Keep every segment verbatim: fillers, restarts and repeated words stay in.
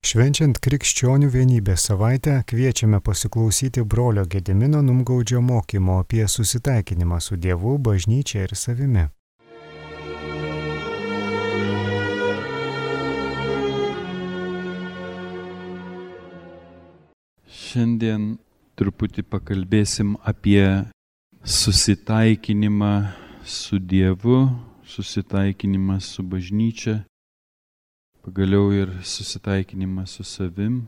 Švenčiant krikščionių vienybės savaitę kviečiame pasiklausyti brolio Gedimino Numgaudžio mokymo apie susitaikinimą su Dievu, bažnyčia ir savimi. Šiandien truputį pakalbėsim apie susitaikinimą su Dievu, susitaikinimą su bažnyčia, pagaliau ir susitaikinimą su savim.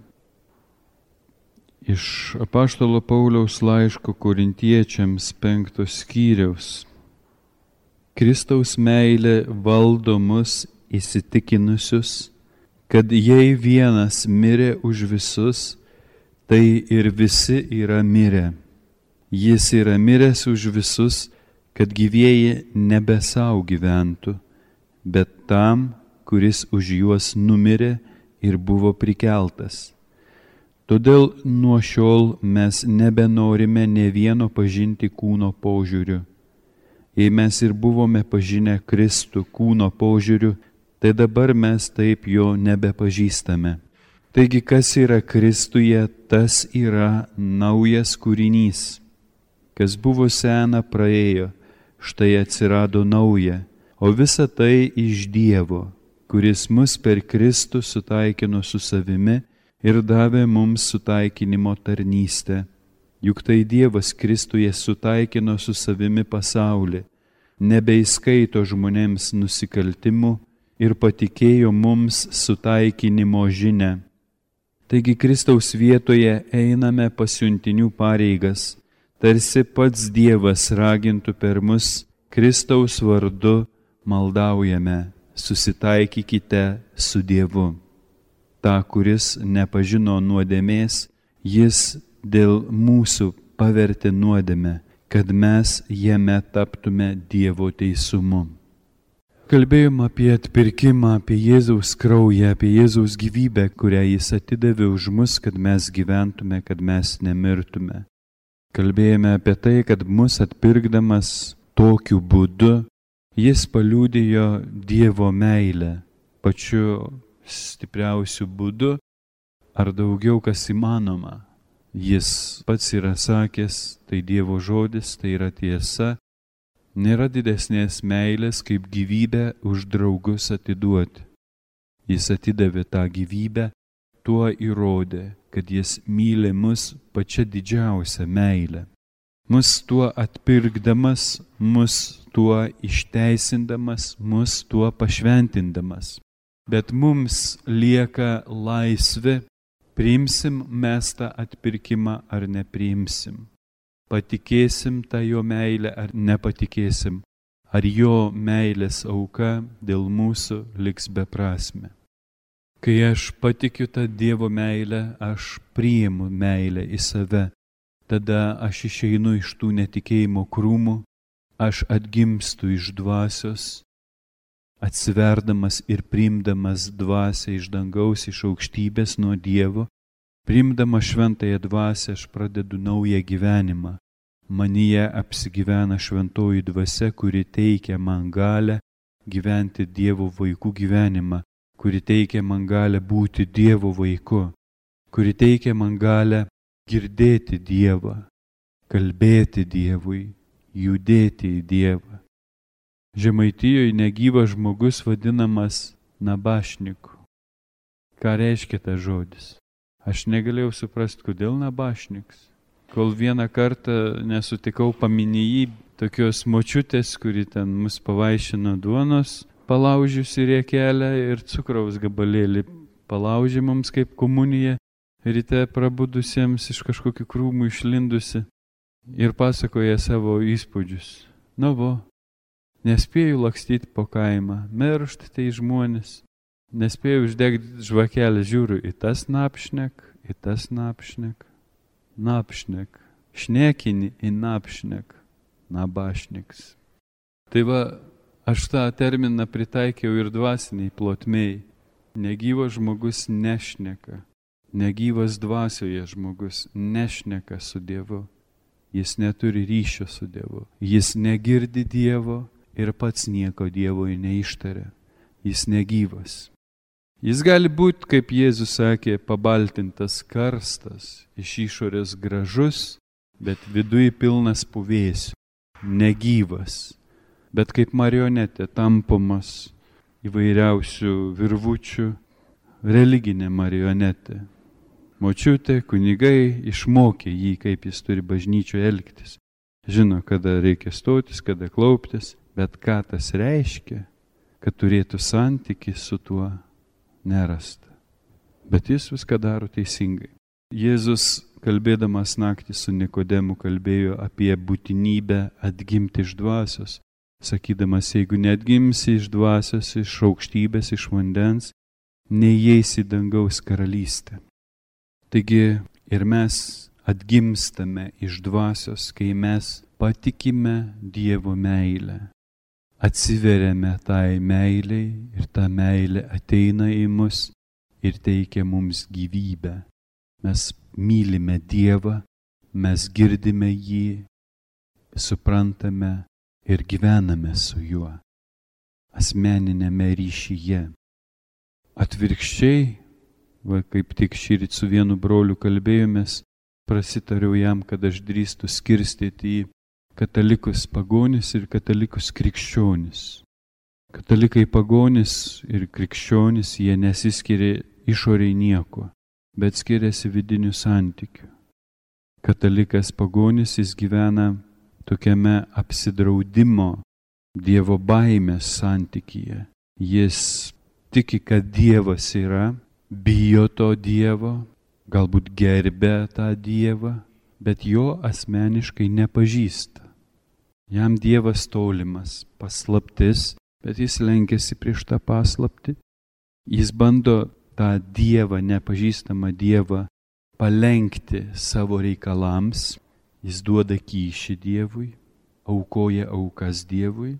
Iš apaštalo Pauliaus laiško Korintiečiams penktos skyriaus. Kristaus meilė valdo mus įsitikinusius, kad jei vienas mirė už visus, tai ir visi yra mirę. Jis yra miręs už visus, kad gyvieji nebe sau gyventų, bet tam, kuris už juos numirė ir buvo prikeltas. Todėl nuo šiol mes nebenorime nė vieno pažinti kūno požiūriu. Jei mes ir buvome pažinę Kristų kūno požiūriu, tai dabar mes taip jo nebepažįstame. Taigi, kas yra Kristuje, tas yra naujas kūrinys. Kas buvo sena, praėjo, štai atsirado nauja, o visa tai iš Dievo, kuris mus per Kristų sutaikino su savimi ir davė mums sutaikinimo tarnystę. Juk tai Dievas Kristuje sutaikino su savimi pasaulį, nebeįskaito žmonėms nusikaltimų ir patikėjo mums sutaikinimo žinią. Taigi Kristaus vietoje einame pasiuntinių pareigas, tarsi pats Dievas ragintų per mus, Kristaus vardu maldaujame. Susitaikykite su Dievu. Ta, kuris nepažino nuodėmės, jis dėl mūsų pavertė nuodėmę, kad mes jame taptume Dievo teisumu. Kalbėjom apie atpirkimą, apie Jėzaus kraują, apie Jėzaus gyvybę, kurią jis atidavė už mus, kad mes gyventume, kad mes nemirtume. Kalbėjome apie tai, kad mus atpirkdamas tokiu būdu, jis paliudijo Dievo meilę pačiu stipriausiu būdu, ar daugiau kas įmanoma. Jis pats yra sakęs, tai Dievo žodis, tai yra tiesa. Nėra didesnės meilės, kaip gyvybę už draugus atiduoti. Jis atidavė tą gyvybę, tuo įrodė, kad jis myli mus pačia didžiausia meilė. Mus tuo atpirkdamas, mus tuo išteisindamas, mus tuo pašventindamas. Bet mums lieka laisvė, priimsim mes tą atpirkimą ar nepriimsim. Patikėsim tą jo meilę ar nepatikėsim. Ar jo meilės auka dėl mūsų liks beprasmė. Kai aš patikiu tą Dievo meilę, aš priimu meilę į save. Tada aš išeinu iš tų netikėjimo krūmų, aš atgimstu iš dvasios, atsiverdamas ir priimdamas dvasią iš dangaus, iš aukštybės nuo Dievo, priimdamas šventąją dvasią aš pradedu naują gyvenimą. Manyje apsigyvena šventoji dvasia, kuri teikia man galę gyventi Dievo vaikų gyvenimą, kuri teikia man galę būti Dievo vaiku, kuri teikia man galę girdėti Dievą, kalbėti Dievui, judėti į Dievą. Žemaitijoje negyvas žmogus vadinamas nabašniku. Ką reiškia tas žodis? Aš negalėjau suprasti, kodėl nabašniks. Kol vieną kartą nesutikau paminėjį tokios močiutės, kuri ten mus pavaišino duonos, palaužiusi riekelę ir cukraus gabalėlį palaužė mums kaip komunija, ryte prabudusiems iš kažkokių krūmų išlindusi ir pasakoja savo įspūdžius. Nu vo, nespėjau lakstyti po kaimą, miršt tai žmonės, nespėjau uždegti žvakelę, žiūriu į tas napšnek, į tas napšnek, napšnek, šnekini į napšnek, nabašniks. Tai va, aš tą terminą pritaikiau ir dvasiniai plotmei. Negyvas žmogus nešneka. Negyvas dvasioje žmogus nešneka su Dievu. Jis neturi ryšio su Dievu. Jis negirdi Dievo ir pats nieko Dievui neištaria. Jis negyvas. Jis gali būti, kaip Jėzus sakė, pabaltintas karstas, iš išorės gražus, bet viduje pilnas puvėsių, negyvas, bet kaip marionetė tampomas įvairiausių virvučių, religinė marionetė. Močiutė, kunigai išmokė jį, kaip jis turi bažnyčioje elgtis. Žino, kada reikia stotis, kada klauptis, bet ką tas reiškia, kad turėtų santykį su tuo nerasta. Bet jis viską daro teisingai. Jėzus, kalbėdamas naktį su Nikodemu, kalbėjo apie būtinybę atgimti iš dvasios, sakydamas, jeigu neatgimsi iš dvasios, iš aukštybės, iš vandens, neįeisi į dangaus karalystę. Taigi ir mes atgimstame iš dvasios, kai mes patikime Dievo meilę. Atsiveriame tai meiliai ir ta meilė ateina į mus ir teikia mums gyvybę. Mes mylime Dievą, mes girdime jį, suprantame ir gyvename su juo asmeninėme ryšyje. Atvirkščiai, va, kaip tik šįryt su vienu broliu kalbėjomės, prasitariau jam, kad aš drįstu skirstyti į katalikus pagonis ir katalikus krikščionis. Katalikai pagonis ir krikščionis, jie nesiskiria išoriai nieko, bet skiriasi vidinių santykių. Katalikas pagonis, jis gyvena tokiame apsidraudimo, Dievo baimės santykyje. Jis tiki, kad Dievas yra, bijo to Dievo, galbūt gerbia tą Dievą, bet jo asmeniškai nepažįsta. Jam Dievas tolimas, paslaptis, bet jis lenkiasi prieš tą paslaptį. Jis bando tą Dievą, nepažįstamą Dievą, palenkti savo reikalams. Jis duoda kyšį Dievui, aukoja aukas Dievui.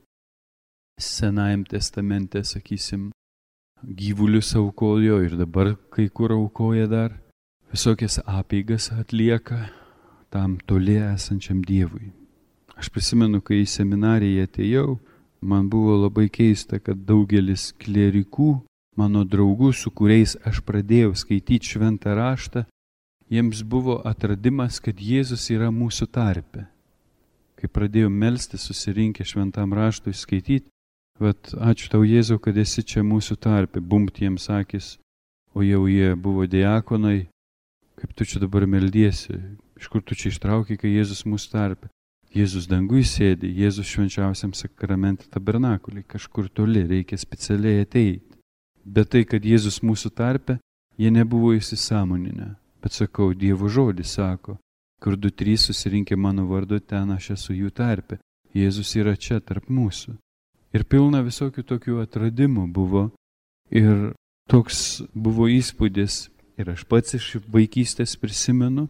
Senajam testamente, sakysim, gyvulius aukojo ir dabar kai kur aukoja dar. Visokias apeigas atlieka tam toli esančiam Dievui. Aš prisimenu, kai į seminariją atėjau, man buvo labai keista, kad daugelis klierikų, mano draugų, su kuriais aš pradėjau skaityti šventą raštą, jiems buvo atradimas, kad Jėzus yra mūsų tarpe. Kai pradėjau melstis, susirinkę šventam raštui skaityti, vat, ačiū tau Jėzau, kad esi čia mūsų tarpe, bumt jiems akis, o jau jie buvo diakonai, kaip tu čia dabar meldiesi, iš kur tu čia ištraukai, kai Jėzus mūsų tarpe. Jėzus dangui sėdi, Jėzus švenčiausiam sakramente tabernakulį, kažkur toli, reikia specialiai ateiti. Bet tai, kad Jėzus mūsų tarpe, jie nebuvo įsisąmoninę. Bet sakau, Dievo žodis sako, kur du trys susirinkė mano vardu, ten aš esu jų tarpe. Jėzus yra čia tarp mūsų. Ir pilna visokių tokių atradimų buvo. Ir toks buvo įspūdis. Ir aš pats iš vaikystės prisimenu,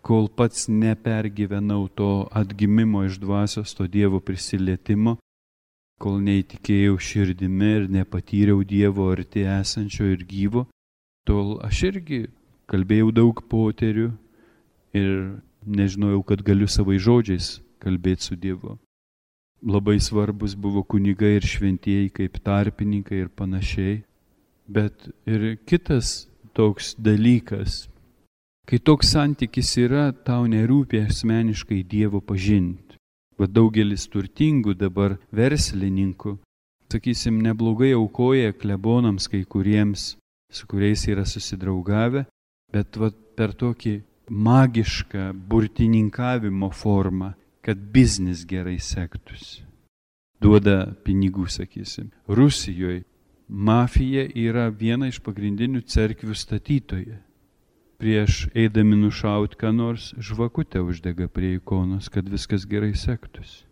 kol pats nepergyvenau to atgimimo iš dvasios, to Dievo prisilietimo, kol neįtikėjau širdimi ir nepatyriau Dievo arti esančio ir gyvo, tol aš irgi kalbėjau daug poterių ir nežinojau, kad galiu savai žodžiais kalbėti su Dievu. Labai svarbus buvo kunigai ir šventieji kaip tarpininkai ir panašiai, bet ir kitas toks dalykas, kai toks santykis yra, tau nerūpi asmeniškai Dievo pažinti. Va daugelis turtingų dabar verslininkų, sakysim, neblogai aukoja klebonams kai kuriems, su kuriais yra susidraugavę, bet va per tokį magišką burtininkavimo formą, kad biznis gerai sektųsi. Duoda pinigų, sakysim. Rusijoje mafija yra viena iš pagrindinių cerkvių statytojų. Prieš eidami nušauti, ką nors žvakutę uždega prie ikonos, kad viskas gerai sektųsi.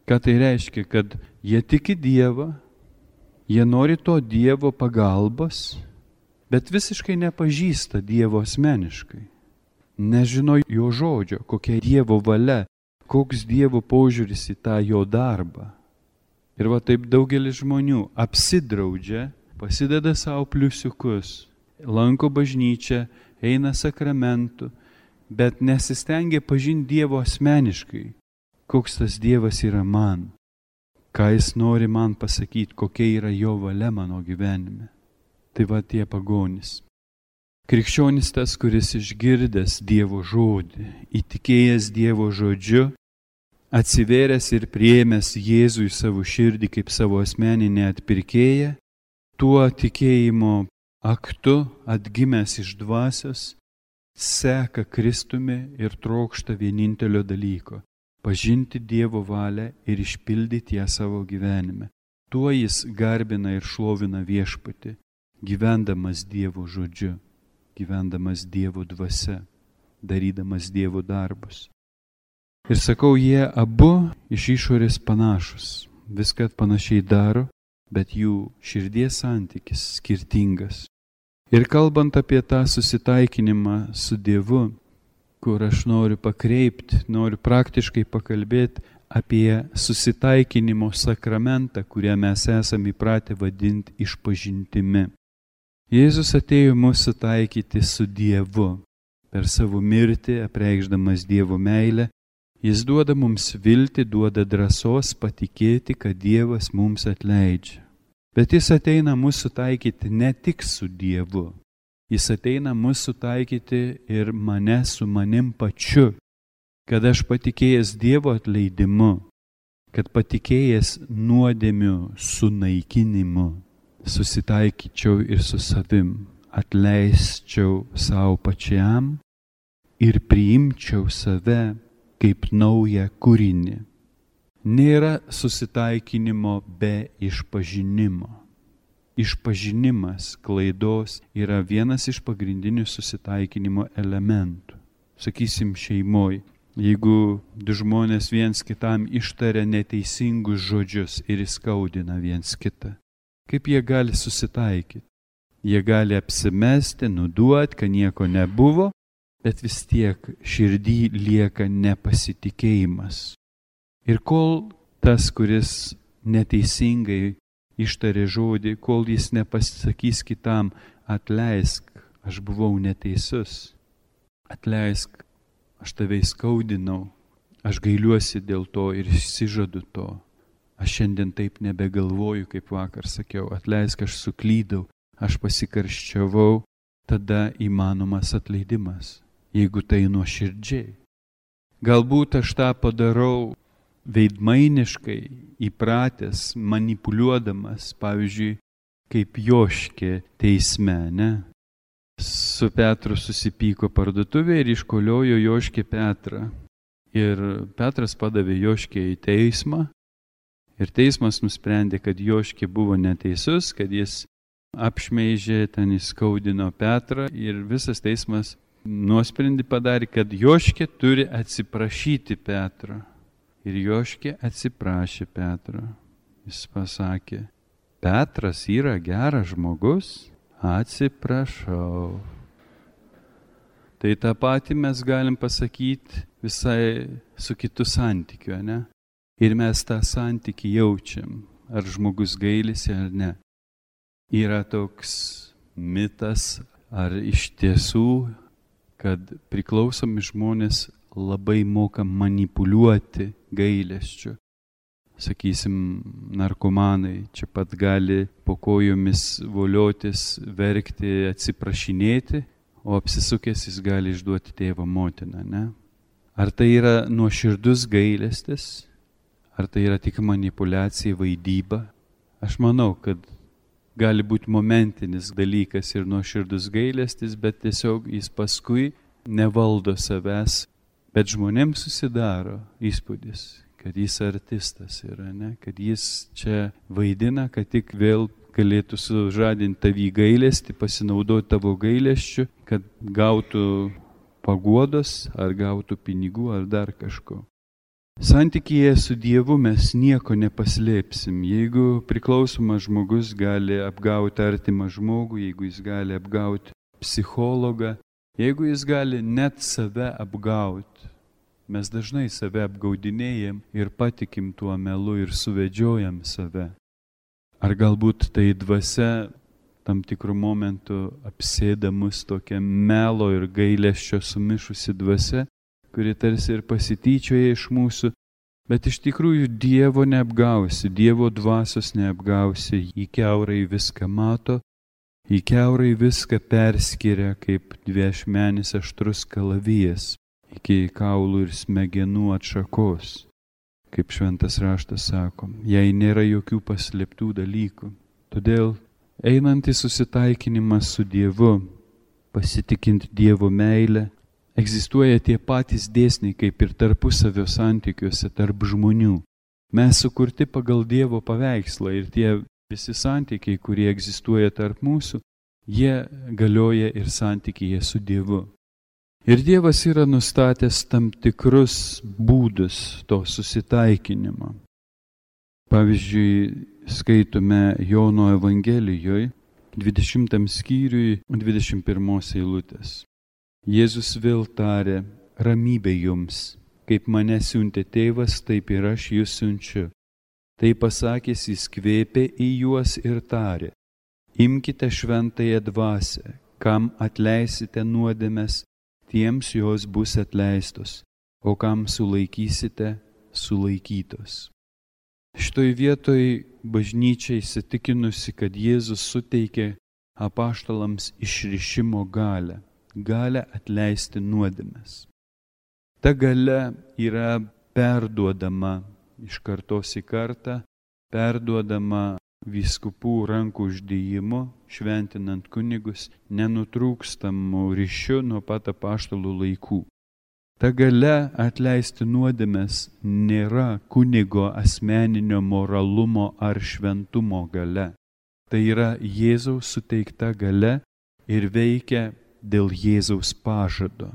Ką tai reiškia? Kad jie tiki Dievą, jie nori to Dievo pagalbos, bet visiškai nepažįsta Dievo asmeniškai. Nežino jo žodžio, kokia Dievo valia, koks Dievo požiūris į tą jo darbą. Ir va taip daugelis žmonių apsidraudžia, pasideda savo pliusiukus, lanko bažnyčią, eina sakramentų, bet nesistengia pažinti Dievo asmeniškai, koks tas Dievas yra man, ką jis nori man pasakyti, kokia yra jo valia mano gyvenime. Tai va tie pagonys. Krikščionis tas, kuris išgirdęs Dievo žodį, įtikėjęs Dievo žodžiu, atsivėręs ir priėmęs Jėzų į savo širdį kaip savo asmeninę atpirkėją, tuo tikėjimo aktu atgimęs iš dvasios, seka Kristumi ir trokšta vienintelio dalyko – pažinti Dievo valią ir išpildyti ją savo gyvenime. Tuo jis garbina ir šlovina Viešpatį, gyvendamas Dievo žodžiu, gyvendamas Dievo dvasia, darydamas Dievo darbus. Ir sakau, jie abu iš išorės panašus, viską panašiai daro, bet jų širdies santykis skirtingas. Ir kalbant apie tą susitaikinimą su Dievu, kur aš noriu pakreipti, noriu praktiškai pakalbėti apie susitaikinimo sakramentą, kurią mes esame įpratę vadinti išpažintimi. Jėzus atėjo mūsų taikyti su Dievu. Per savo mirtį, apreikšdamas Dievo meilę, jis duoda mums viltį, duoda drąsos patikėti, kad Dievas mums atleidžia. Bet jis ateina mūsų taikyti ne tik su Dievu. Jis ateina mūsų taikyti ir mane su manim pačiu, kad aš patikėjęs Dievo atleidimu, kad patikėjęs nuodėmių sunaikinimu, susitaikyčiau ir su savim, atleisčiau savo pačiam ir priimčiau save kaip naują kūrinį. Nėra susitaikinimo be išpažinimo. Išpažinimas klaidos yra vienas iš pagrindinių susitaikinimo elementų. Sakysim, šeimoj, jeigu du žmonės viens kitam ištaria neteisingus žodžius ir įskaudina viens kitą, kaip jie gali susitaikyti? Jie gali apsimesti, nuduoti, kad nieko nebuvo, bet vis tiek širdį lieka nepasitikėjimas. Ir kol tas, kuris neteisingai ištarė žodį, kol jis nepasakys kitam, atleisk, aš buvau neteisus, atleisk, aš tave įskaudinau, aš gailiuosi dėl to ir išsižadu to. Aš šiandien taip nebegalvoju, kaip vakar sakiau, atleisk, aš suklydau, aš pasikarščiavau, tada įmanomas atleidimas, jeigu tai nuoširdžiai. Galbūt aš tą padarau veidmainiškai, įpratęs, manipuliuodamas, pavyzdžiui, kaip Joškė teisme, ne? Su Petru susipyko parduotuvėje ir iškoliojo Joškė Petrą. Ir Petras padavė Joškę į teismą. Ir teismas nusprendė, kad Joškė buvo neteisus, kad jis apšmeižė, ten įskaudino Petrą. Ir visas teismas nuosprendį padarė, kad Joškė turi atsiprašyti Petrą. Ir Joškė atsiprašė Petrą. Jis pasakė, Petras yra geras žmogus, atsiprašau. Tai tą patį mes galim pasakyti visai su kitu santykiu, ne? Ir mes tą santykį jaučiam, ar žmogus gailisi ar ne. Yra toks mitas, ar iš tiesų, kad priklausomi žmonės labai moka manipuliuoti gailesčiu. Sakysim, narkomanai čia pat gali po kojomis voliotis, verkti, atsiprašinėti, o apsisukęs jis gali išduoti tėvą motiną, ne? Ar tai yra nuoširdus gailestis, ar tai yra tik manipuliacija, vaidyba? Aš manau, kad gali būti momentinis dalykas ir nuoširdus gailestis, bet tiesiog jis paskui nevaldo savęs. Bet žmonėms susidaro įspūdis, kad jis artistas yra, ne? Kad jis čia vaidina, kad tik vėl galėtų sužadinti tavį gailestį, pasinaudoti tavo gailesčiu, kad gautų paguodos, ar gautų pinigų, ar dar kažko. Santykyje su Dievu mes nieko nepaslėpsim. Jeigu priklausomas žmogus gali apgauti artimą žmogų, jeigu jis gali apgauti psichologą, jeigu jis gali net save apgauti, mes dažnai save apgaudinėjam ir patikim tuo melu ir suvedžiojam save. Ar galbūt tai dvasia tam tikrų momentų apsėda mus tokia melo ir gailesčio sumišusi dvasia, kuri tarsi ir pasityčioja iš mūsų, bet iš tikrųjų Dievo neapgausi, Dievo dvasios neapgausi, jį kiaurai viską mato, Į kiaurai viską perskiria kaip dviašmenis aštrus kalavijas iki kaulų ir smegenų atšakos. Kaip šventas raštas sako, jei nėra jokių paslėptų dalykų. Todėl einant į susitaikinimą su Dievu, pasitikint Dievo meilę, egzistuoja tie patys dėsniai kaip ir tarpusavio santykiuose tarp žmonių. Mes sukurti pagal Dievo paveikslą ir tie visi santykiai, kurie egzistuoja tarp mūsų, jie galioja ir santykyje su Dievu. Ir Dievas yra nustatęs tam tikrus būdus to susitaikinimo. Pavyzdžiui, skaitome Jono Evangelijoje, dvidešimtam skyriui, dvidešimt pirmos eilutės. Jėzus vėl tarė, ramybė jums, kaip mane siuntė tėvas, taip ir aš jūs siunčiu. Tai pasakęs jis kvėpė į juos ir tarė, imkite šventąją dvasią, kam atleisite nuodėmes, tiems jos bus atleistos, o kam sulaikysite, sulaikytos. Šitoj vietoj bažnyčia įsitikinusi, kad Jėzus suteikė apaštalams išrišimo galią, galią atleisti nuodėmes. Ta galia yra perduodama iš kartos į kartą, perduodama vyskupų rankų uždėjimu, šventinant kunigus, nenutrūkstamų ryšių nuo pat apaštalų laikų. Ta galia atleisti nuodėmes nėra kunigo asmeninio moralumo ar šventumo galia. Tai yra Jėzaus suteikta galia ir veikia dėl Jėzaus pažado.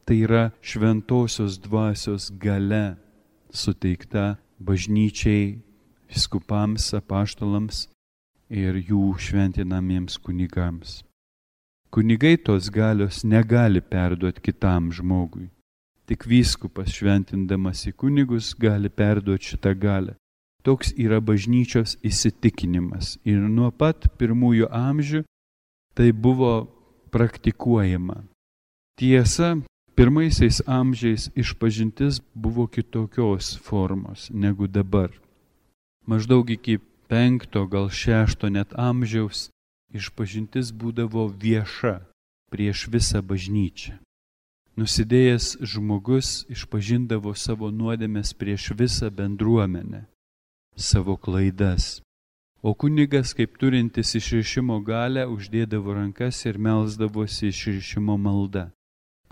Tai yra šventosios dvasios galia suteikta bažnyčiai, vyskupams, apaštalams ir jų šventinamiems kunigams. Kunigai tos galios negali perduoti kitam žmogui. Tik vyskupas šventindamas į kunigus gali perduoti šitą galią. Toks yra bažnyčios įsitikinimas. Ir nuo pat pirmųjų amžių tai buvo praktikuojama. Tiesa, pirmaisiais amžiais išpažintis buvo kitokios formos negu dabar. Maždaug iki penkto, gal šešto net amžiaus išpažintis būdavo vieša prieš visą bažnyčią. Nusidėjęs žmogus išpažindavo savo nuodėmes prieš visą bendruomenę, savo klaidas. O kunigas, kaip turintis išrišimo galią, uždėdavo rankas ir melsdavosi išrišimo malda.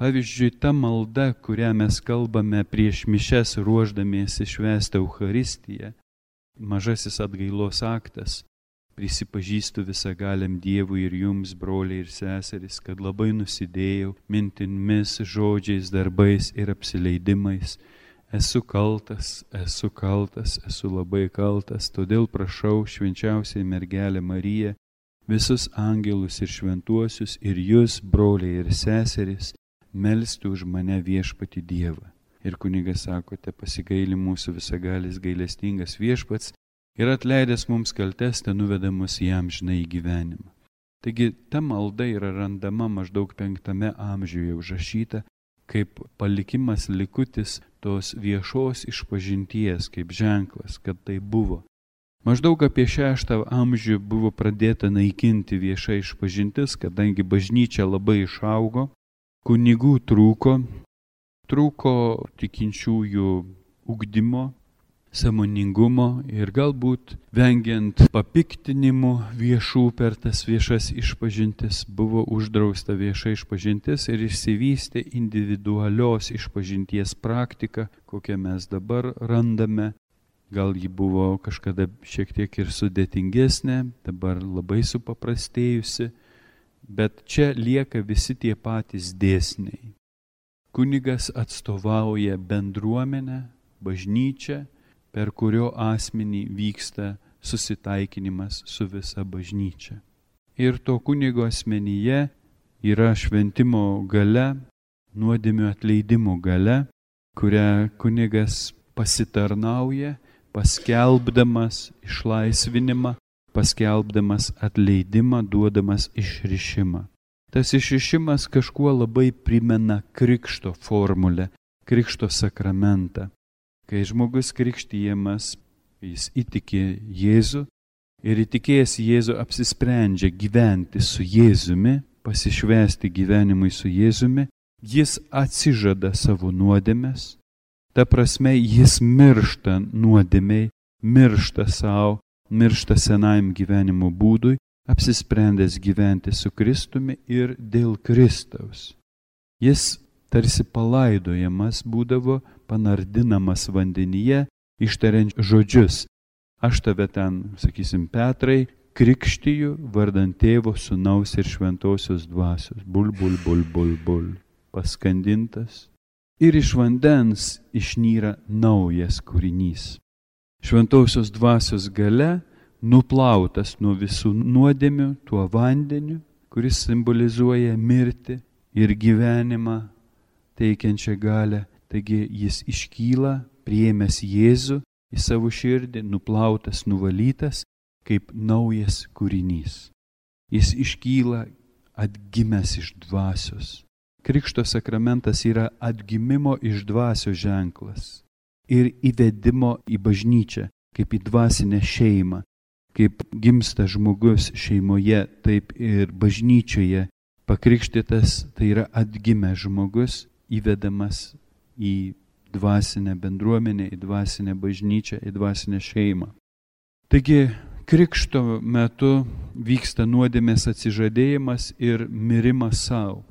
Pavyzdžiui, ta malda, kurią mes kalbame prieš mišias ruošdamiesi švęsti Eucharistiją, mažasis atgailos aktas, prisipažįstu visagaliam Dievui ir jums, broliai ir seserys, kad labai nusidėjau mintimis, žodžiais, darbais ir apsileidimais. Esu kaltas, esu kaltas, esu labai kaltas, todėl prašau švenčiausiai mergelę Mariją, visus angelus ir šventuosius ir jūs, broliai ir seserys, melsti už mane viešpatį Dievą. Ir kunigas sako, te pasigaili mūsų visagalis gailestingas viešpats ir atleidęs mums kaltes, te nuveda mus į amžinąjį gyvenimą. Taigi ta malda yra randama maždaug penktame amžiuje užrašyta kaip palikimas likutis tos viešos išpažinties, kaip ženklas, kad tai buvo. Maždaug apie šeštą amžių buvo pradėta naikinti vieša išpažintis, kadangi bažnyčia labai išaugo, kunigų trūko, trūko tikinčiųjų ugdymo, sąmoningumo ir galbūt vengiant papiktinimų viešų per tas viešas išpažintis buvo uždrausta vieša išpažintis ir išsivystė individualios išpažinties praktika, kokią mes dabar randame. Gal ji buvo kažkada šiek tiek ir sudėtingesnė, dabar labai supaprastėjusi, bet čia lieka visi tie patys dėsniai. Kunigas atstovauja bendruomenę, bažnyčią, per kurio asmenį vyksta susitaikinimas su visa bažnyčia. Ir to kunigo asmenyje yra šventimo galia, nuodėmių atleidimo galia, kurią kunigas pasitarnauja, paskelbdamas išlaisvinimą, paskelbdamas atleidimą, duodamas išrišimą. Tas išrišimas kažkuo labai primena krikšto formulę, krikšto sakramentą. Kai žmogus krikštijamas, jis įtiki Jėzų, ir įtikėjęs Jėzų apsisprendžia gyventi su Jėzumi, pasišvęsti gyvenimui su Jėzumi, jis atsižada savo nuodėmes, ta prasme jis miršta nuodėmei, miršta savo, miršta senajam gyvenimo būdui, apsisprendęs gyventi su Kristumi ir dėl Kristaus. Jis tarsi palaidojamas būdavo, panardinamas vandenyje, ištariant žodžius. Aš tave ten, sakysim, Petrai, krikštiju vardant Tėvo, Sūnaus ir Šventosios dvasios. Bul, bul, bul, bul, bul. Paskandintas. Ir iš vandens išnyra naujas kūrinys. Šventosios dvasios gale nuplautas nuo visų nuodėmių tuo vandeniu, kuris simbolizuoja mirtį ir gyvenimą teikiančią galę. Taigi jis iškyla, priėmęs Jėzų į savo širdį, nuplautas, nuvalytas, kaip naujas kūrinys. Jis iškyla atgimęs iš dvasios. Krikšto sakramentas yra atgimimo iš dvasios ženklas ir įvedimo į bažnyčią, kaip į dvasinę šeimą. Kaip gimsta žmogus šeimoje, taip ir bažnyčioje. Pakrikštytas tai yra atgimęs žmogus, įvedamas į dvasinę bendruomenę, į dvasinę bažnyčią, į dvasinę šeimą. Taigi, krikšto metu vyksta nuodėmės atsižadėjimas ir mirimas savo,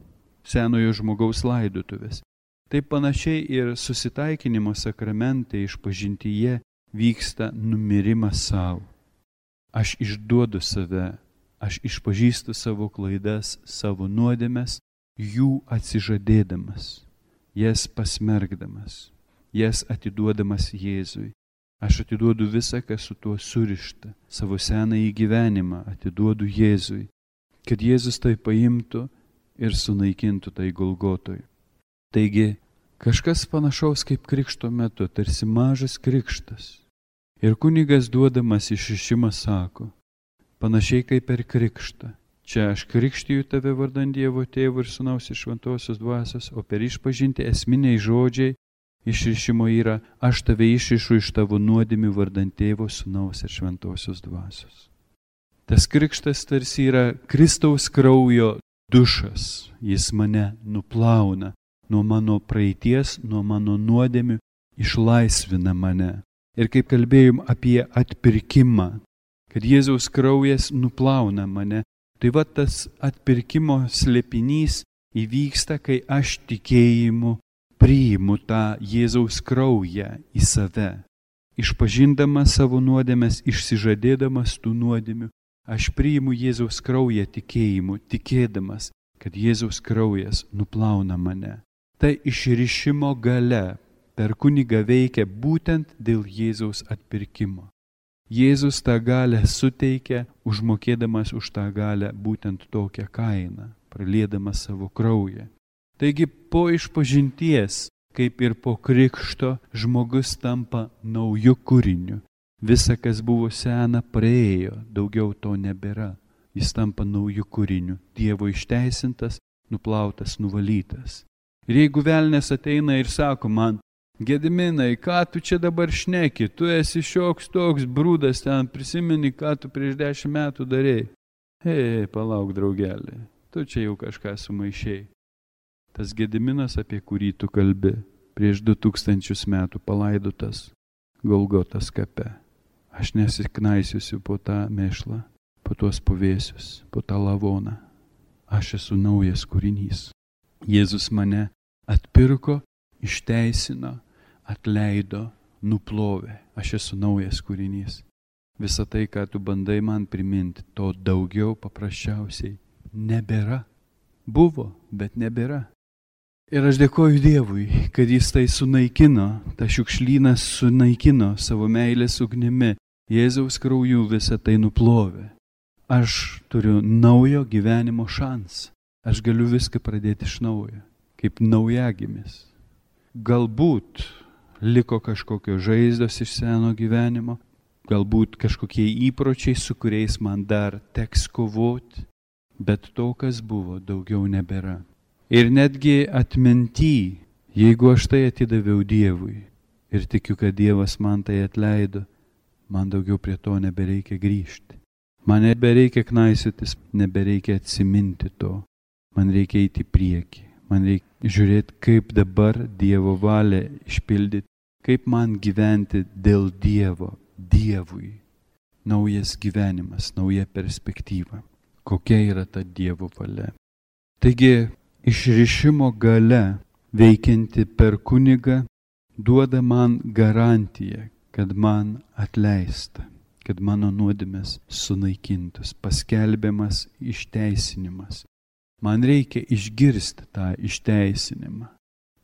senojo žmogaus laidotuvės. Taip panašiai ir susitaikinimo sakramente išpažintyje vyksta numirimas savo. Aš išduodu save, aš išpažįstu savo klaidas, savo nuodėmes, jų atsižadėdamas, jas pasmergdamas, jas atiduodamas Jėzui. Aš atiduodu visą, kas su tuo surišta, savo senąjį gyvenimą atiduodu Jėzui, kad Jėzus tai paimtų ir sunaikintų tai Golgotoj. Taigi, kažkas panašaus kaip krikšto metu, tarsi mažas krikštas. Ir kunigas duodamas išrišimą sako, panašiai kaip per krikštą. Čia aš krikštiju tave vardant Dievo Tėvo ir Sūnaus ir Šventosios dvasios, o per išpažinti esminiai žodžiai išrišimo yra, aš tave išrišu iš tavo nuodėmių vardant Tėvo, Sūnaus ir Šventosios dvasios. Tas krikštas tarsi yra Kristaus kraujo dušas. Jis mane nuplauna nuo mano praeities, nuo mano nuodėmių, išlaisvina mane. Ir kaip kalbėjom apie atpirkimą, kad Jėzaus kraujas nuplauna mane, tai va tas atpirkimo slėpinys įvyksta, kai aš tikėjimu priimu tą Jėzaus kraują į save. Išpažindamas savo nuodėmes, išsižadėdamas tų nuodėmių, aš priimu Jėzaus kraują tikėjimu, tikėdamas, kad Jėzaus kraujas nuplauna mane. Tai išrišimo galia per kunigą veikia būtent dėl Jėzaus atpirkimo. Jėzus tą galę suteikia, užmokėdamas už tą galę būtent tokią kainą, praliedamas savo kraują. Taigi po išpažinties, kaip ir po krikšto, žmogus tampa nauju kūriniu. Visa, kas buvo sena, praėjo, daugiau to nebėra. Jis tampa nauju kūriniu, Dievo išteisintas, nuplautas, nuvalytas. Ir jeigu velnias ateina ir sako man, Gediminai, ką tu čia dabar šneki, tu esi šioks toks brūdas ten, prisimeni, ką tu prieš dešimt metų darėjai. Hei, palauk, draugelį, tu čia jau kažką sumaišėjai. Tas Gediminas, apie kurį tu kalbi, prieš du tūkstančius metų palaidotas Golgotos kape. Aš nesiknaisiusiu po tą mėšlą, po tuos puvėsius, po tą lavoną. Aš esu naujas kūrinys. Jėzus mane atpirko, išteisino, atleido, nuplovė. Aš esu naujas kūrinys. Visą tai, ką tu bandai man priminti, to daugiau paprasčiausiai nebėra. Buvo, bet nebėra. Ir aš dėkoju Dievui, kad jis tai sunaikino, tą šiukšlyną sunaikino savo meilės ugnimi. Jėzaus krauju visą tai nuplovė. Aš turiu naujo gyvenimo šansą. Aš galiu viską pradėti iš naujo, kaip naujagimis. Galbūt liko kažkokios žaizdos iš seno gyvenimo, galbūt kažkokie įpročiai, su kuriais man dar teks kovoti, bet to, kas buvo, daugiau nebėra. Ir netgi atminty, jeigu aš tai atidaviau Dievui ir tikiu, kad Dievas man tai atleido, man daugiau prie to nebereikia grįžti. Man nebereikia knaisiotis, nebereikia atsiminti to. Man reikia eiti į priekį. Man reikia žiūrėti, kaip dabar Dievo valią išpildyti, kaip man gyventi dėl Dievo, Dievui. Naujas gyvenimas, nauja perspektyva. Kokia yra ta Dievo valia. Taigi, išrišimo galia veikianti per kunigą duoda man garantiją, kad man atleista, kad mano nuodėmės sunaikintos, paskelbiamas išteisinimas. Man reikia išgirsti tą išteisinimą.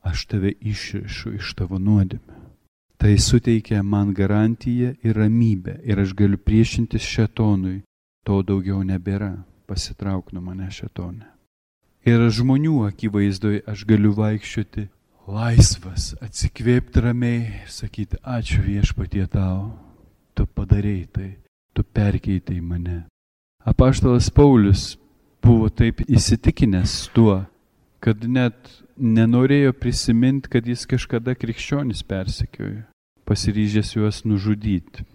Aš tave išrišu iš tavo nuodėmę. Tai suteikia man garantiją ir ramybę ir aš galiu priešintis šėtonui. To daugiau nebėra. Pasitrauk nuo mane šėtone. Ir žmonių akivaizdoje aš galiu vaikščioti laisvas, atsikvėpti ramiai, sakyti, ačiū Viešpatie tau, tu padarei tai, tu perkeitai mane. Apaštalas Paulius buvo taip įsitikinęs tuo, kad net nenorėjo prisiminti, kad jis kažkada krikščionis persekiojo, pasiryžęs juos nužudyti.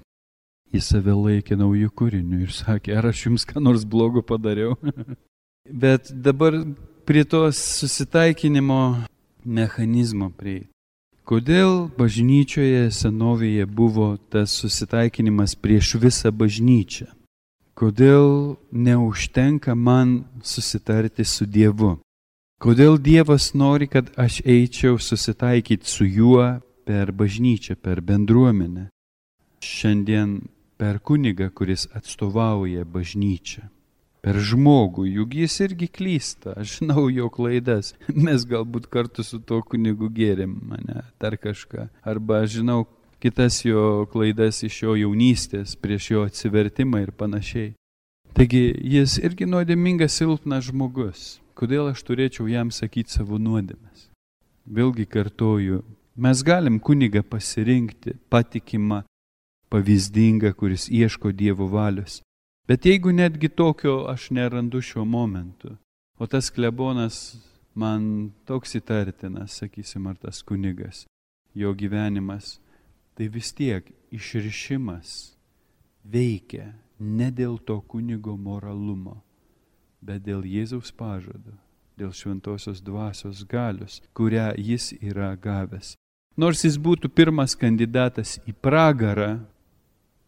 Jis save laikė naujų kūrinių ir sakė, ar aš jums ką nors blogo padariau? Bet dabar prie tos susitaikinimo mechanizmo prieiti. Kodėl bažnyčioje senovėje buvo tas susitaikinimas prieš visą bažnyčią? Kodėl neužtenka man susitarti su Dievu? Kodėl Dievas nori, kad aš eičiau susitaikyti su juo per bažnyčią, per bendruomenę? Šiandien per kunigą, kuris atstovauja bažnyčią. Per žmogų, juk jis irgi klysta, aš žinau jo klaidas. Mes galbūt kartu su to kunigu gėrėm mane, dar kažką. Arba aš žinau kitas jo klaidas iš jo jaunystės, prieš jo atsivertimą ir panašiai. Taigi jis irgi nuodėmingas silpnas žmogus. Kodėl aš turėčiau jam sakyti savo nuodėmes? Vėlgi kartoju, mes galim kunigą pasirinkti patikimą, pavyzdingą, kuris ieško Dievo valios. Bet jeigu netgi tokio aš nerandu šiuo momentu, o tas klebonas man toks įtartinas, sakysim, ar tas kunigas, jo gyvenimas, tai vis tiek išrišimas veikia ne dėl to kunigo moralumo, bet dėl Jėzaus pažado, dėl šventosios dvasios galios, kurią jis yra gavęs. Nors jis būtų pirmas kandidatas į pragarą,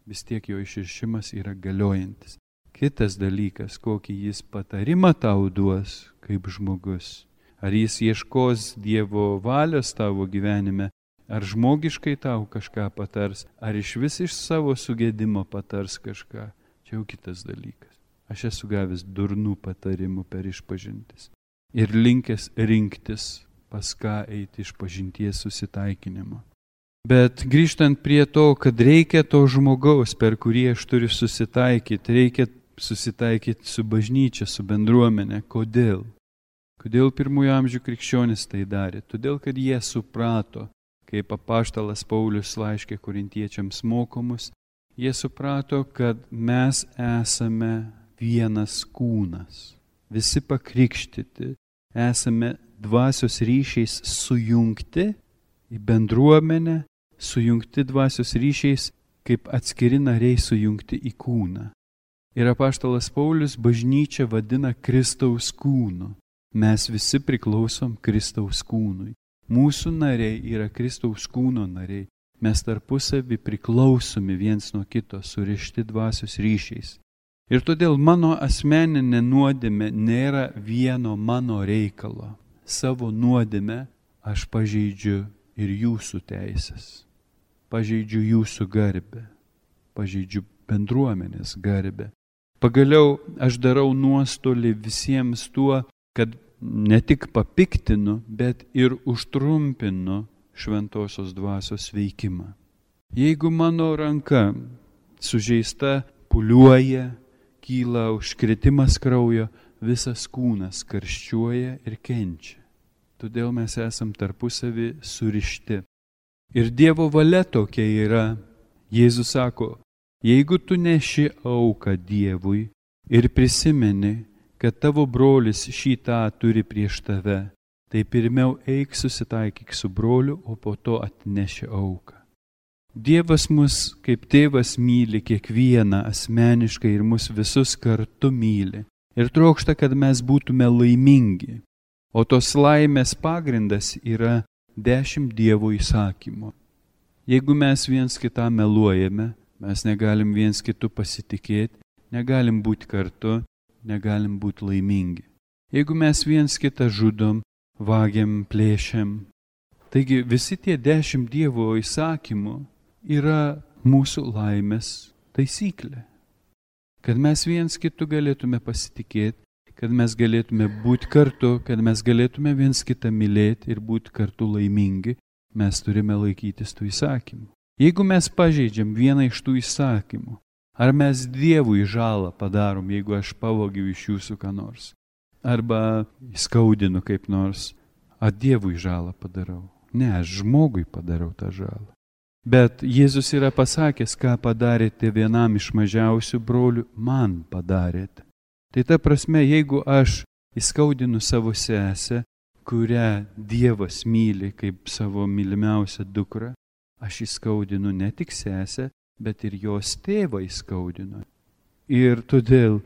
vis tiek jo išrišimas yra galiojantis. Kitas dalykas, kokį jis patarimą tau duos kaip žmogus. Ar jis ieškos Dievo valios tavo gyvenime, ar žmogiškai tau kažką patars, ar iš vis iš savo sugėdimo patars kažką. Čia jau kitas dalykas. Aš esu gavęs durnų patarimų per išpažintis. Ir linkęs rinktis, pas ką eiti išpažinties susitaikinimo. Bet grįžtant prie to, kad reikia to žmogaus, per kurį aš turiu susitaikyti, reikia susitaikyti su bažnyčia, su bendruomenė. Kodėl? Kodėl pirmųjų amžių krikščionys tai darė? Todėl, kad jie suprato, kaip apaštalas Paulius laiškė korintiečiams mokomus, jie suprato, kad mes esame vienas kūnas. Visi pakrikštyti, esame dvasios ryšiais sujungti į bendruomenę, sujungti dvasios ryšiais, kaip atskiri nariai sujungti į kūną. Ir apaštalas Paulius bažnyčią vadina Kristaus kūnu. Mes visi priklausom Kristaus kūnui. Mūsų nariai yra Kristaus kūno nariai. Mes tarpusavį priklausomi viens nuo kito, surišti dvasios ryšiais. Ir todėl mano asmeninė nuodėmė nėra vieno mano reikalo. Savo nuodėmę aš pažeidžiu ir jūsų teisės. Pažeidžiu jūsų garbę, pažeidžiu bendruomenės garbę. Pagaliau aš darau nuostolį visiems tuo, kad ne tik papiktinu, bet ir užtrumpinu šventosios dvasios veikimą. Jeigu mano ranka sužeista pūliuoja, kyla užkritimas kraujo, visas kūnas karščiuoja ir kenčia. Todėl mes esam tarpusavį surišti. Ir Dievo valia tokia yra. Jėzus sako, jeigu tu neši auką Dievui ir prisimeni, kad tavo brolis šitą turi prieš tave, tai pirmiau eik susitaikyk su broliu, o po to atneši auką. Dievas mus kaip tėvas myli kiekvieną asmeniškai ir mus visus kartu myli. Ir trokšta, kad mes būtume laimingi. O tos laimės pagrindas yra dešimt Dievo įsakymų. Jeigu mes viens kitą meluojame, mes negalim viens kitų pasitikėti, negalim būti kartu, negalim būti laimingi. Jeigu mes viens kitą žudom, vagiam, plėšiam. Taigi visi tie dešimt Dievo įsakymų yra mūsų laimės taisyklė. Kad mes viens kitų galėtume pasitikėti, kad mes galėtume būti kartu, kad mes galėtume viens kitą mylėti ir būti kartu laimingi, mes turime laikytis tų įsakymų. Jeigu mes pažeidžiam vieną iš tų įsakymų, ar mes Dievui žalą padarom, jeigu aš pavogiu iš jūsų ką nors, arba įskaudinu kaip nors, ar Dievui žalą padarau? Ne, aš žmogui padarau tą žalą. Bet Jėzus yra pasakęs, ką padarėte vienam iš mažiausių brolių, man padarėte. Tai ta prasme, jeigu aš įskaudinu savo sesę, kurią Dievas myli kaip savo mylimiausią dukrą, aš įskaudinu ne tik sesę, bet ir jos tėvą įskaudinu. Ir todėl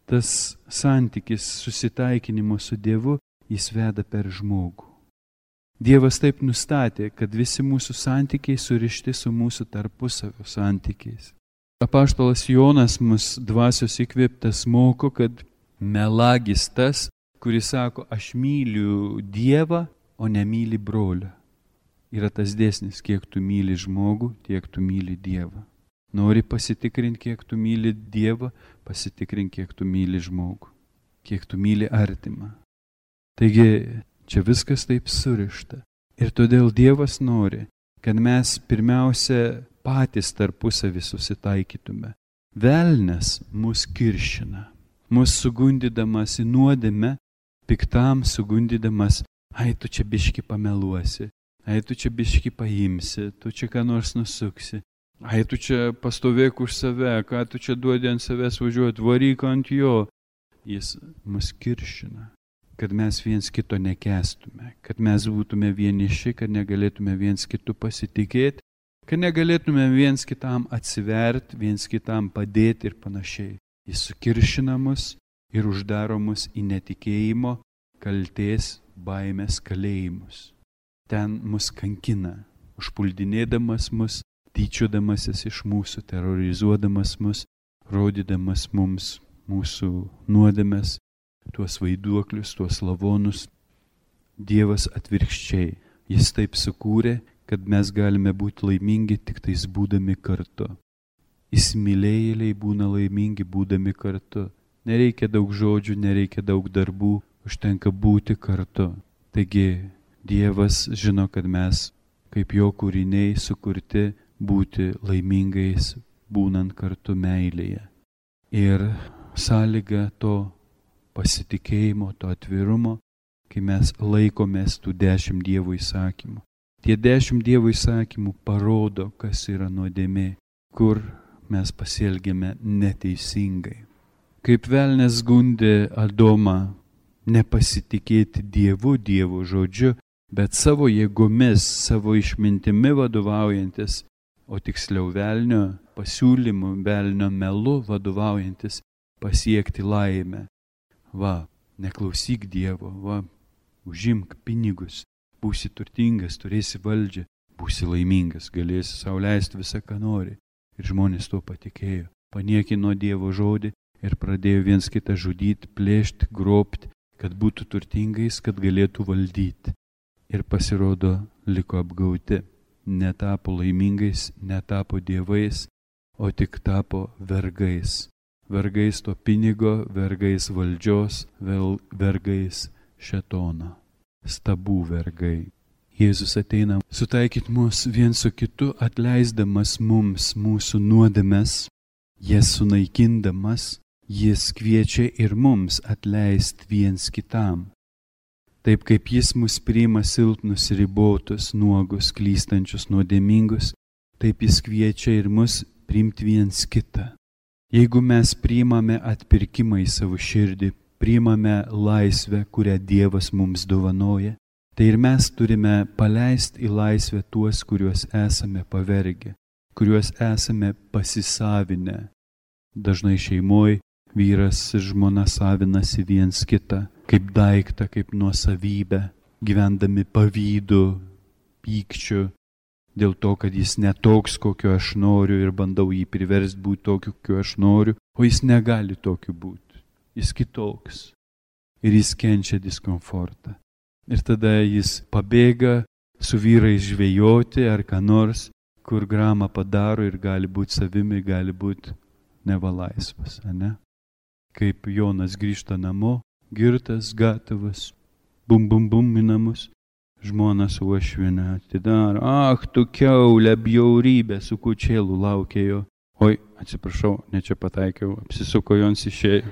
tas santykis susitaikinimo su Dievu, jis veda per žmogų. Dievas taip nustatė, kad visi mūsų santykiai surišti su mūsų tarpusavio santykiais. Apaštalas Jonas mus dvasios įkvėptas moko, kad melagis tas, kuris sako, aš myliu Dievą, o nemyli brolio. Yra tas dėsnis, kiek tu myli žmogų, tiek tu myli Dievą. Nori pasitikrinti, kiek tu myli Dievą, pasitikrink, kiek tu myli žmogų, kiek tu myli artimą. Taigi, čia viskas taip surišta. Ir todėl Dievas nori, kad mes pirmiausia patys tarpusavį susitaikytume. Velnias mus kiršina, mus sugundydamas į nuodėmę, piktam sugundydamas, ai tu čia biški pameluosi, ai tu čia biški paimsi, tu čia ką nors nusuksi, ai tu čia pastovėk už save, ką tu čia duodi ant savęs važiuoti, varyk ant jo. Jis mus kiršina, kad mes viens kito nekęstume, kad mes būtume vieniši, kad negalėtume viens kitų pasitikėti, kad negalėtume viens kitam atsiverti, viens kitam padėti ir panašiai. Jis sukiršina mus ir uždaro mus į netikėjimo, kaltės, baimės kalėjimus. Ten mus kankina, užpuldinėdamas mus, tyčiodamasis iš mūsų, terrorizuodamas mus, rodydamas mums mūsų nuodėmes, tuos vaiduoklius, tuos lavonus. Dievas atvirkščiai, jis taip sukūrė, kad mes galime būti laimingi tik tais būdami kartu. Įsimylėjėliai būna laimingi būdami kartu. Nereikia daug žodžių, nereikia daug darbų, užtenka būti kartu. Taigi Dievas žino, kad mes kaip jo kūriniai sukurti būti laimingais, būnant kartu meilėje. Ir sąlyga to pasitikėjimo, to atvirumo, kai mes laikomės tų dešimt Dievo įsakymų. Tie dešimt Dievo įsakymų parodo, kas yra nuodėmė, kur mes pasielgėme neteisingai. Kaip velnias gundė Adomą nepasitikėti Dievu, Dievo žodžiu, bet savo jėgomis, savo išmintimi vadovaujantis, o tiksliau velnio pasiūlymu, velnio melu vadovaujantis pasiekti laimę. Va, neklausyk Dievo, va, užimk pinigus, būsi turtingas, turėsi valdžią, būsi laimingas, galėsi sau leisti visą, ką nori. Ir žmonės to patikėjo. Paniekino Dievo žodį ir pradėjo viens kitą žudyti, plėšti, grobti, kad būtų turtingais, kad galėtų valdyti. Ir pasirodo, liko apgauti. Netapo laimingais, netapo dievais, o tik tapo vergais. Vergais to pinigo, vergais valdžios, vergais šėtono. Stabų vergai. Jėzus ateina sutaikyti mus vien su kitu, atleisdamas mums mūsų nuodėmes, jas sunaikindamas, jis kviečia ir mums atleisti viens kitam. Taip kaip jis mus priima silpnus, ribotus, nuogus, klystančius, nuodėmingus, taip jis kviečia ir mus priimti viens kitą. Jeigu mes priimame atpirkimą į savo širdį, priimame laisvę, kurią Dievas mums dovanoja, tai ir mes turime paleisti į laisvę tuos, kuriuos esame pavergę. kuriuos esame pasisavinę. Dažnai šeimoje vyras ir žmona savinasi viens kitą kaip daiktą, kaip nuosavybę, gyvendami pavydu, pykčiu, dėl to, kad jis netoks, kokio aš noriu ir bandau jį priversti būti tokiu, kokio aš noriu, o jis negali tokiu būti. Jis kitoks. Ir jis kenčia diskomfortą. Ir tada jis pabėga su vyrais žvejoti ar ką nors, kur gramą padaro ir gali būti savimi, gali būti nevalaisvas, ane? Kaip Jonas grįžta namo, girtas, gatavas, bum bum bum į namus, žmona su uošviene atidaro, ach, tu kiaulė, bjaurybė, su kučėlu laukė jo. Oi, atsiprašau, ne čia pataikiau, apsisuko Jons išėjo.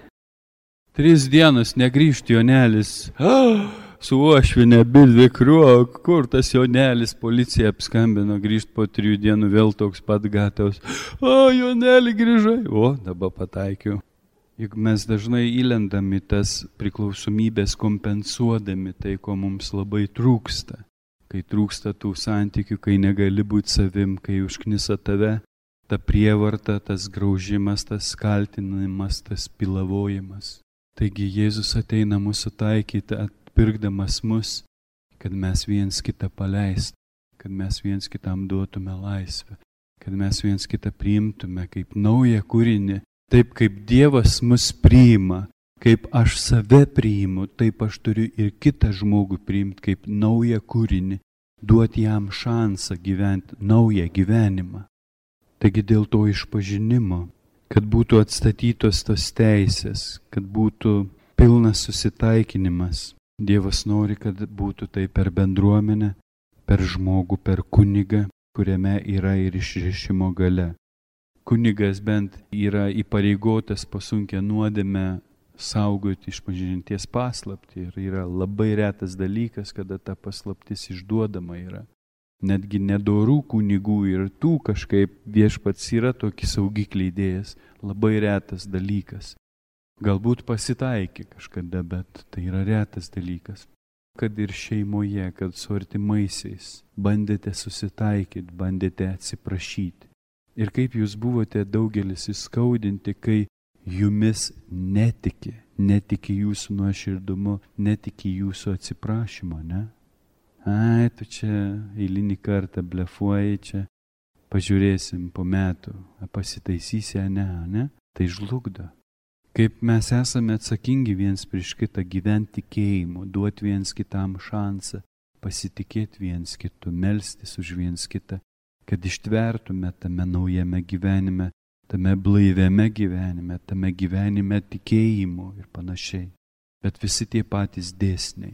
Tris dienas negrįžti Jonelis, ah, su uošviene bildvi kriuok, kur tas Jonelis, policija apskambino, grįžti po trijų dienų vėl toks pat gatavas. O, Joneli grįžai, o, dabar pataikiau. Juk mes dažnai įlendam į tas priklausomybės kompensuodami tai, ko mums labai trūksta. Kai trūksta tų santykių, kai negali būti savim, kai užknisa tave, ta prievarta, tas graužimas, tas kaltinimas, tas pilavojimas. Taigi Jėzus ateina mūsų taikyti, atpirkdamas mus, kad mes viens kitą paleist, kad mes viens kitam duotume laisvę, kad mes viens kitą priimtume kaip naują kūrinį. Taip kaip Dievas mus priima, kaip aš save priimu, taip aš turiu ir kitą žmogų priimti kaip naują kūrinį, duoti jam šansą gyventi naują gyvenimą. Taigi dėl to išpažinimo, kad būtų atstatytos tos teisės, kad būtų pilnas susitaikinimas. Dievas nori, kad būtų tai per bendruomenę, per žmogų, per kunigą, kuriame yra ir išrišimo galia. Kunigas bent yra įpareigotas pasunkę nuodėmę saugoti išpažinties paslaptį ir yra labai retas dalykas, kada ta paslaptis išduodama yra. Netgi nedorų kunigų ir tų kažkaip viešpats yra tokį saugiklį įdėjęs, labai retas dalykas. Galbūt pasitaikė kažkada, bet tai yra retas dalykas. Kad ir šeimoje, kad su artimaisiais bandėte susitaikyti, bandėte atsiprašyti. Ir kaip jūs buvote daugelis įskaudinti, kai jumis netiki, netiki jūsų nuoširdumu, netiki jūsų atsiprašymo, ne? Ai, tu čia eilinį kartą blefuoji, čia pažiūrėsim po metų, pasitaisysi, ne, ne? Tai žlugdo. Kaip mes esame atsakingi viens prieš kitą gyventi tikėjimu, duoti viens kitam šansą, pasitikėti viens kitu, melstis už viens kitą, kad ištvertume tame naujame gyvenime, tame blaiviame gyvenime, tame gyvenime tikėjimu ir panašiai. Bet visi tie patys dėsniai.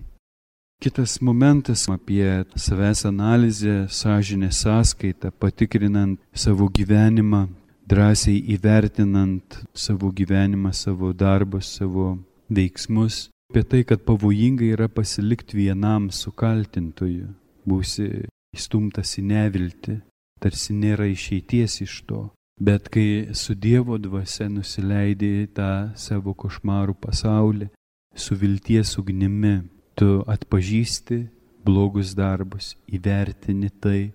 Kitas momentas apie savęs analizę, sąžinės sąskaitą, patikrinant savo gyvenimą, drąsiai įvertinant savo gyvenimą, savo darbus, savo veiksmus, apie tai, kad pavojinga yra pasilikti vienam su kaltintoju, būsi įstumtas į neviltį. Tarsi nėra išeities iš to, bet kai su Dievo dvasia nusileidai tą savo košmarų pasaulį, su vilties ugnimi, tu atpažįsti blogus darbus, įvertini tai,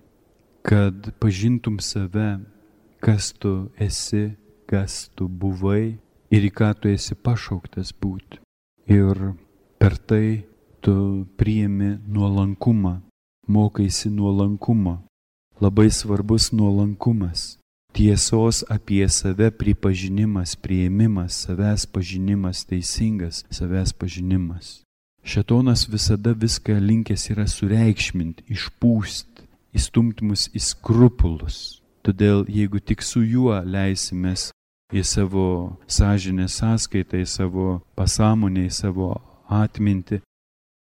kad pažintum save, kas tu esi, kas tu buvai ir į ką tu esi pašauktas būti. Ir per tai tu priimi nuolankumą, mokaisi nuolankumo. Labai svarbus nuolankumas, tiesos apie save pripažinimas, priėmimas, savęs pažinimas, teisingas savęs pažinimas. Šėtonas visada viską linkęs yra sureikšminti, išpūsti, įstumti mus į skrupulus. Todėl jeigu tik su juo leisimės į savo sąžinės sąskaitą, į savo pasąmonę, į savo atmintį,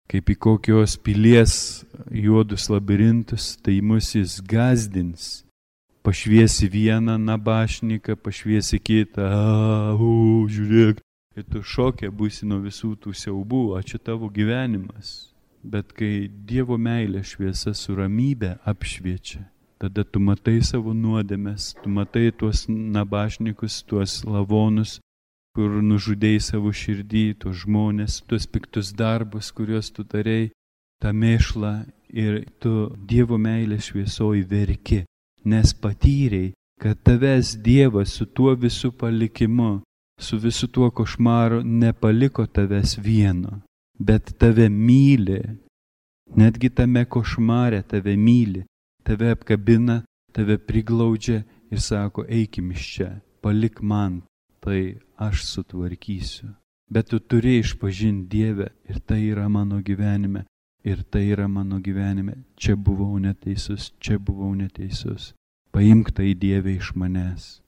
kaip į kokios pilies juodus labirintus, tai mus jis gazdins. Pašviesi vieną nabašniką, pašviesi kitą, a, u, žiūrėk. Ir tu šokė būsi nuo visų tų siaubų, o čia tavo gyvenimas. Bet kai Dievo meilė šviesa su ramybė apšviečia, tada tu matai savo nuodėmes, tu matai tuos nabašnikus, tuos lavonus, kur nužudėjai savo širdį, tuos žmonės, tuos piktus darbus, kuriuos tu darei, tą mėšlą ir tu Dievo meilės šviesoj verki, nes patyrei, kad tavęs Dievas su tuo visu palikimu, su visu tuo košmaru nepaliko tavęs vieno, bet tave myli, netgi tame košmare tave myli, tave apkabina, tave priglaudžia ir sako, eikim iš čia, palik man, tai aš sutvarkysiu. Bet tu turi išpažinti Dievę ir tai yra mano gyvenime, ir tai yra mano gyvenime, čia buvau neteisus, čia buvau neteisus. Paimk tai Dieve iš manęs.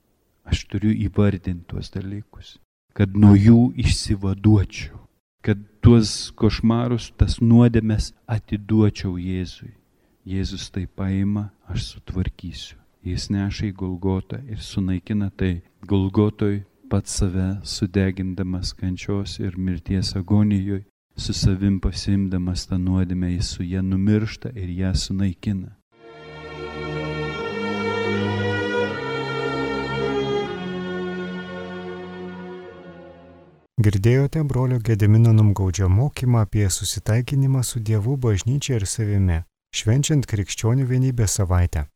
Aš turiu įvardinti tuos dalykus, kad nuo jų išsivaduočiau, kad tuos košmarus, tas nuodėmes atiduočiau Jėzui. Jėzus tai paima, aš sutvarkysiu. Jis neša į Golgotą ir sunaikina tai. Golgotoj pats save sudegindamas kančios ir mirties agonijoj, su savim pasimdamas tą nuodėmę, jis su ją numiršta ir ją sunaikina. Girdėjote brolio Gedimino Numgaudžio mokymą apie susitaikinimą su Dievu, bažnyčia ir savimi, švenčiant Krikščionių vienybės savaitę.